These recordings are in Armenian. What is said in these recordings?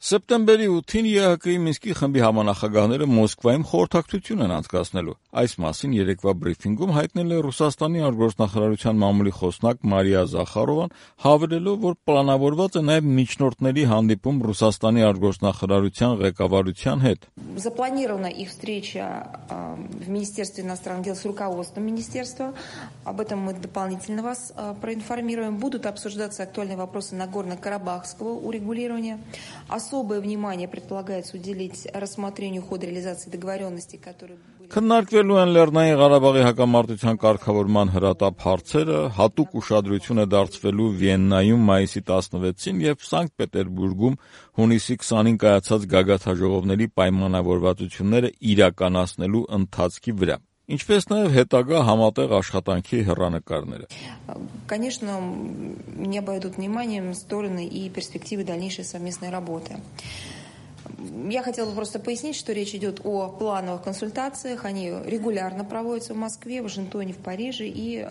Սեպտեմբերի 8-ին ԵՀԿ-ի Մինսկի խմբի համանախագահները Մոսկվայում խորհրդակցություն են անցկացնելու։ Այս մասին երեկվա բրիֆինգում հայտնել է Ռուսաստանի արտգործնախարարության մամուլի խոսնակ Մարիա Զախարովան, հավելելով, որ պլանավորված է նաև միջնորդների հանդիպում Ռուսաստանի արտգործնախարարության ղեկավարության հետ։ Запланирована их встреча в Министерстве иностранных дел с руководством министерства. Об этом мы дополнительно вас проинформируем. Будут обсуждаться актуальные вопросы Нагорно-Карабахского урегулирования. Особое внимание предполагается уделить рассмотрению хода реализации договоренностей, которые были... Քննարկվելու են Լեռնային Ղարաբաղի հակամարտության կարգավորման հրատապ հարցերը, հատուկ ուշադրություն է դարձվելու Վիեննայում մայիսի 16-ին եւ Սանկտ Պետերբուրգում հունիսի 20-ին կայացած գագաթաժողովների պայմանավորվածությունները իրականացնելու ընթացքի վրա, ինչպես նաև հետագա համատեղ աշխատանքի հեռանկարները։ Конечно, не обойдут вниманием стороны и перспективы дальнейшей совместной работы. Я хотела бы просто пояснить, что речь идет о плановых консультациях. Они регулярно проводятся в Москве, в Вашингтоне, в Париже и...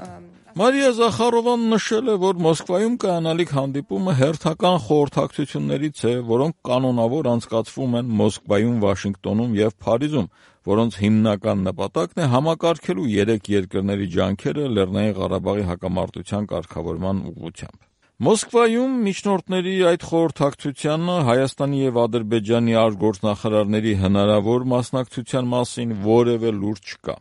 Մարիա Զախարովան նշել է, որ Մոսկվայում կայանալիք հանդիպումը հերթական խորհրդակցություններից է, որոնք կանոնավոր անցկացվում են Մոսկվայում, Վաշինգտոնում եւ Փարիզում, որոնց հիմնական նպատակն է համակարգելու երեք երկրների ջանքերը Լեռնային Ղարաբաղի հակամարտության կարգավորման ուղղությամբ։ Մոսկվայում միջնորդների այդ խորհրդակցությանը Հայաստանի եւ Ադրբեջանի արտգործնախարարների հնարավոր մասնակցության մասին որևէ լուրջ չկա։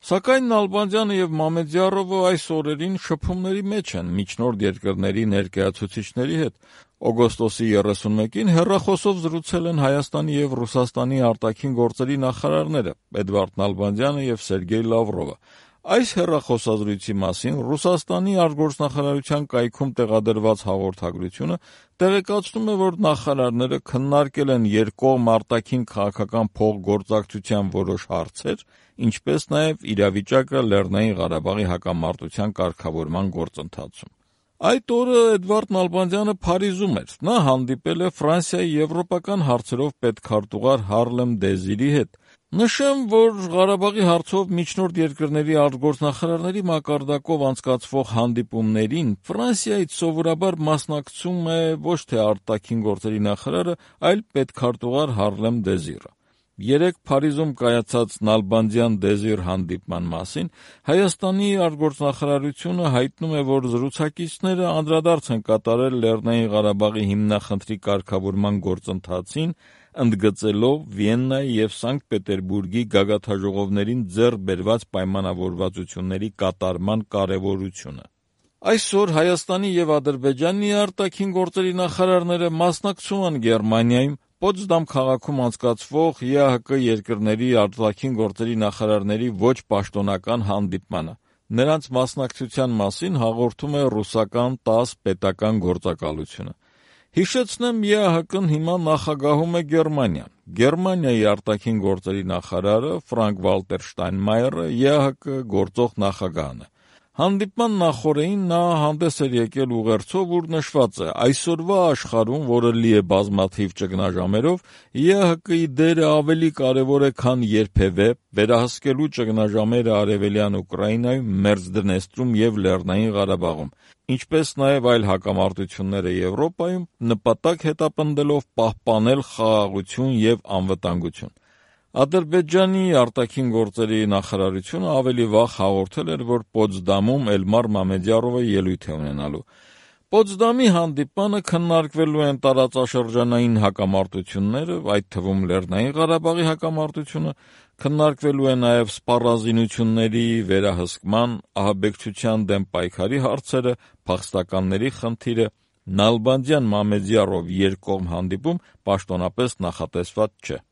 Սակայն Նալբանդյանը եւ Մամեդյարովը այս օրերին շփումների մեջ են միջնորդ երկրների ներկայացուցիչների հետ։ Օգոստոսի 31-ին հեռախոսով զրուցել են Հայաստանի եւ Ռուսաստանի արտաքին գործերի նախարարները Էդվարդ Նալբանդյանը եւ Սերգեյ Լավրովը։ Այս հեռախոսազրույցի մասին Ռուսաստանի արտգործնախարարության կայքում տեղադրված հաղորդագրությունը տեղեկացնում է, որ նախարարները քննարկել են երկկողմ արտաքին քաղաքական փոխգործակցության որոշ հարցեր, ինչպես նաև իրավիճակը Լեռնային Ղարաբաղի հակամարտության կարգավորման գործընթացում։ Այդ օրը Էդվարդ Նալբանդյանը Փարիզում էր։ Նա հանդիպել է Ֆրանսիայի եվրոպական հարցերով պետքարտուղար Հարլեմ Դեզիրի հետ։ Նշեմ, որ Ղարաբաղի հարցով միջնորդ երկրների արտգործնախարարների մակարդակով անցկացվող հանդիպումներին Ֆրանսիայից սովորաբար մասնակցում է ոչ թե արտաքին գործերի նախարարը, այլ պետքարտուղար Հարլեմ Դեզիրը։ Երեկ Փարիզում կայացած Նալբանդյան-Դեզիր հանդիպման մասին Հայաստանի արտգործնախարարությունը հայտնում է, որ զրուցակիցները անդրադարձ են կատարել Լեռնային Ղարաբաղի հիմնախնդրի կարգավորման գործընթացին, ընդգծելով Վիեննայի եւ Սանկտ Պետերբուրգի գագաթաժողովներին ձեռք բերված պայմանավորվածությունների կատարման կարևորությունը։ Այսօր Հայաստանի եւ Ադրբեջանի արտաքին գործերի նախարարները մասնակցում են Գերմանիայում Պոցդամ քաղաքում անցկացվող ԵԱՀԿ երկրների արտաքին գործերի նախարարների ոչ պաշտոնական հանդիպմանը։ Նրանց մասնակցության մասին հաղորդում է ռուսական ՏԱՍՍ պետական գործակալությունը։ Հիշեցնեմ, ԵԱՀԿ-ն հիմա նախագահում է Գերմանիան։ Գերմանիայի արտաքին գործերի նախարարը Ֆրանկ Վալտեր Շտայնմայերը ԵԱՀԿ գործող նախագահն է։ Հանդիպման նախօրեին նա հանդես էր եկել ուղերձով, ուր նշված է. այսօրվա աշխարհում, որը լի է բազմաթիվ ճգնաժամերով, ԵԱՀԿ-ի դերը ավելի կարևոր է, քան երբևէ վերահսկելու ճգնաժամերը Արևելյան Ուկրաինայում, Մերձդնեստրում եւ Լեռնային Ղարաբաղում, ինչպես նաև այլ հակամարտությունները Եվրոպայում, նպատակ հետապնդելով պահպանել խաղաղություն եւ անվտանգություն։ Ադրբեջանի արտաքին գործերի նախարարությունը ավելի վաղ հաղորդել էր, որ Պոցդամում Էլմար Մամեդյարովը ելույթ է ունենալու։ Պոցդամի հանդիպանը քննարկվելու են տարածաշրջանային հակամարտությունները, այդ թվում Լեռնային Ղարաբաղի հակամարտությունը, քննարկվելու է նաև սպառազինությունների վերահսկման, ահաբեկչության դեմ պայքարի հարցերը, փախստականների խնդիրը։ Նալբանդյան-Մամեդյարով երկկողմ հանդիպում պաշտոնապես նախատեսված չէ։